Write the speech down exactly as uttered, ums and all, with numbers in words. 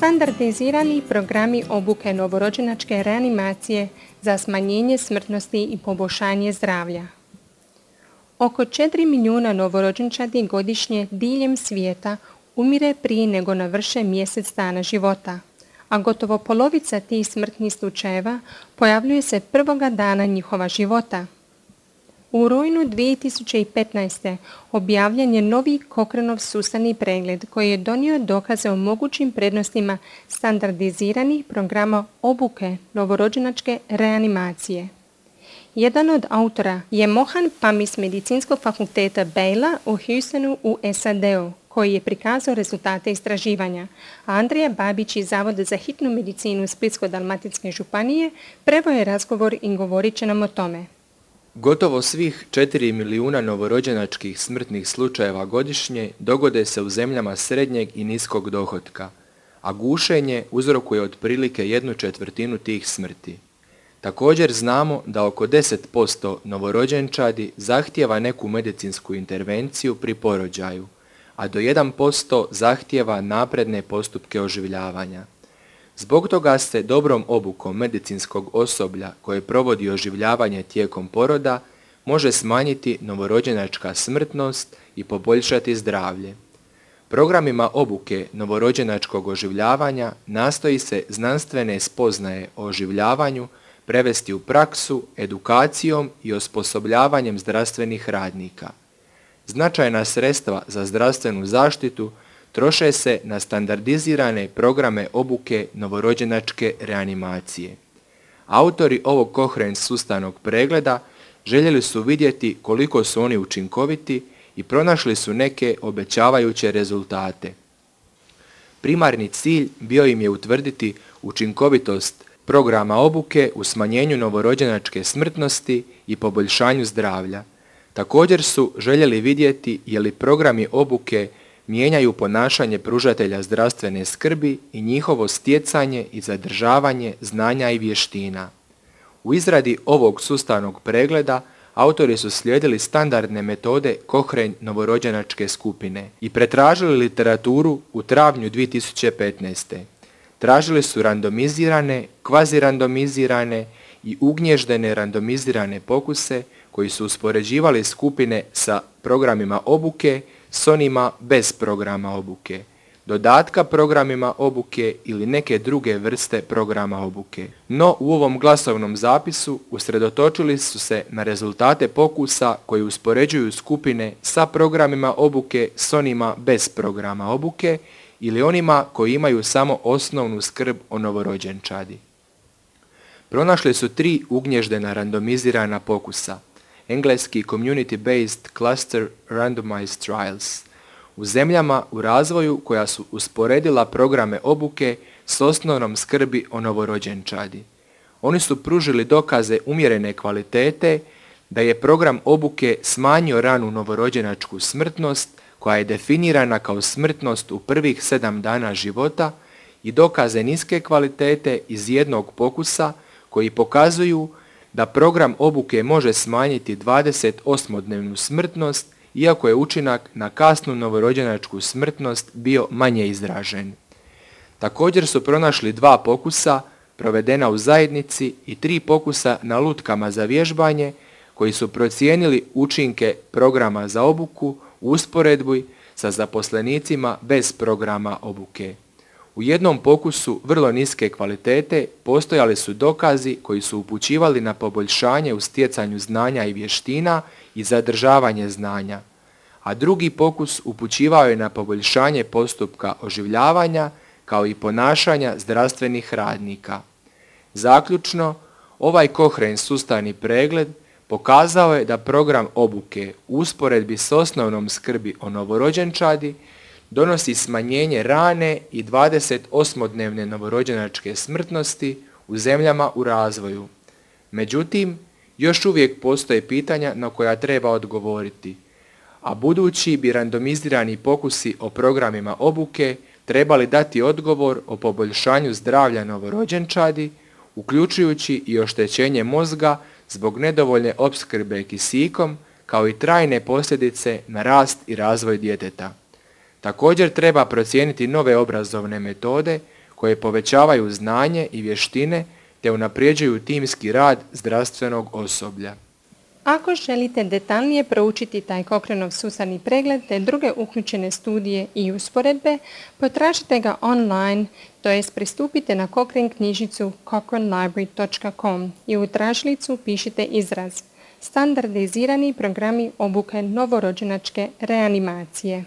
Standardizirani programi obuke novorođenačke reanimacije za smanjenje smrtnosti i poboljšanje zdravlja. Oko četiri milijuna novorođenčadi godišnje diljem svijeta umire prije nego navrše mjesec dana života, a gotovo polovica tih smrtnih slučajeva pojavljuje se prvoga dana njihova života. U rujnu dvije tisuće petnaeste. objavljen je novi Cochraneov sustavni pregled koji je donio dokaze o mogućim prednostima standardiziranih programa obuke novorođenačke reanimacije. Jedan od autora je Mohan Pami s Medicinskog fakulteta Baylor u Houstonu u S A D-u, koji je prikazao rezultate istraživanja, a Andrija Babić iz Zavoda za hitnu medicinu Splitsko-dalmatinske županije preveo je razgovor i govorit će nam o tome. Gotovo svih četiri milijuna novorođenačkih smrtnih slučajeva godišnje dogode se u zemljama srednjeg i niskog dohotka, a gušenje uzrokuje otprilike jednu četvrtinu tih smrti. Također znamo da oko deset posto novorođenčadi zahtijeva neku medicinsku intervenciju pri porođaju, a do jedan posto zahtijeva napredne postupke oživljavanja. Zbog toga se dobrom obukom medicinskog osoblja koje provodi oživljavanje tijekom poroda može smanjiti novorođenačka smrtnost i poboljšati zdravlje. Programima obuke novorođenačkog oživljavanja nastoji se znanstvene spoznaje o oživljavanju prevesti u praksu, edukacijom i osposobljavanjem zdravstvenih radnika. Značajna sredstva za zdravstvenu zaštitu troše se na standardizirane programe obuke novorođenačke reanimacije. Autori ovog Cochrane sustavnog pregleda željeli su vidjeti koliko su oni učinkoviti i pronašli su neke obećavajuće rezultate. Primarni cilj bio im je utvrditi učinkovitost programa obuke u smanjenju novorođenačke smrtnosti i poboljšanju zdravlja. Također su željeli vidjeti je li programi obuke mijenjaju ponašanje pružatelja zdravstvene skrbi i njihovo stjecanje i zadržavanje znanja i vještina. U izradi ovog sustavnog pregleda autori su slijedili standardne metode Cochrane novorođenačke skupine i pretražili literaturu u travnju dvije tisuće petnaeste. Tražili su randomizirane, kvazirandomizirane i ugnježdene randomizirane pokuse koji su uspoređivali skupine sa programima obuke s onima bez programa obuke, dodatka programima obuke ili neke druge vrste programa obuke. No u ovom glasovnom zapisu usredotočili su se na rezultate pokusa koji uspoređuju skupine sa programima obuke s onima bez programa obuke ili onima koji imaju samo osnovnu skrb o novorođenčadi. Pronašli su tri ugnježdena randomizirana pokusa, engleski Community-Based Cluster Randomized Trials, u zemljama u razvoju koja su usporedila programe obuke s osnovnom skrbi o novorođenčadi. Oni su pružili dokaze umjerene kvalitete da je program obuke smanjio ranu novorođenačku smrtnost koja je definirana kao smrtnost u prvih sedam dana života i dokaze niske kvalitete iz jednog pokusa koji pokazuju da program obuke može smanjiti dvadesetosmodnevnu smrtnost iako je učinak na kasnu novorođenačku smrtnost bio manje izražen. Također su pronašli dva pokusa provedena u zajednici i tri pokusa na lutkama za vježbanje koji su procijenili učinke programa za obuku u usporedbi sa zaposlenicima bez programa obuke. U jednom pokusu vrlo niske kvalitete postojali su dokazi koji su upućivali na poboljšanje u stjecanju znanja i vještina i zadržavanje znanja, a drugi pokus upućivao je na poboljšanje postupka oživljavanja kao i ponašanja zdravstvenih radnika. Zaključno, ovaj Cochrane sustavni pregled pokazao je da program obuke u usporedbi s osnovnom skrbi o novorođenčadi donosi smanjenje rane i dvadesetosmodnevne novorođenačke smrtnosti u zemljama u razvoju. Međutim, još uvijek postoje pitanja na koja treba odgovoriti, a budući bi randomizirani pokusi o programima obuke trebali dati odgovor o poboljšanju zdravlja novorođenčadi, uključujući i oštećenje mozga zbog nedovoljne opskrbe kisikom, kao i trajne posljedice na rast i razvoj djeteta. Također treba procijeniti nove obrazovne metode koje povećavaju znanje i vještine te unapređuju timski rad zdravstvenog osoblja. Ako želite detaljnije proučiti taj Cochraneov sustavni pregled te druge uključene studije i usporedbe, potražite ga online, to jest pristupite na Cochrane knjižnicu cochrane library dot com i u tražilicu pišite izraz standardizirani programi obuke novorođenačke reanimacije.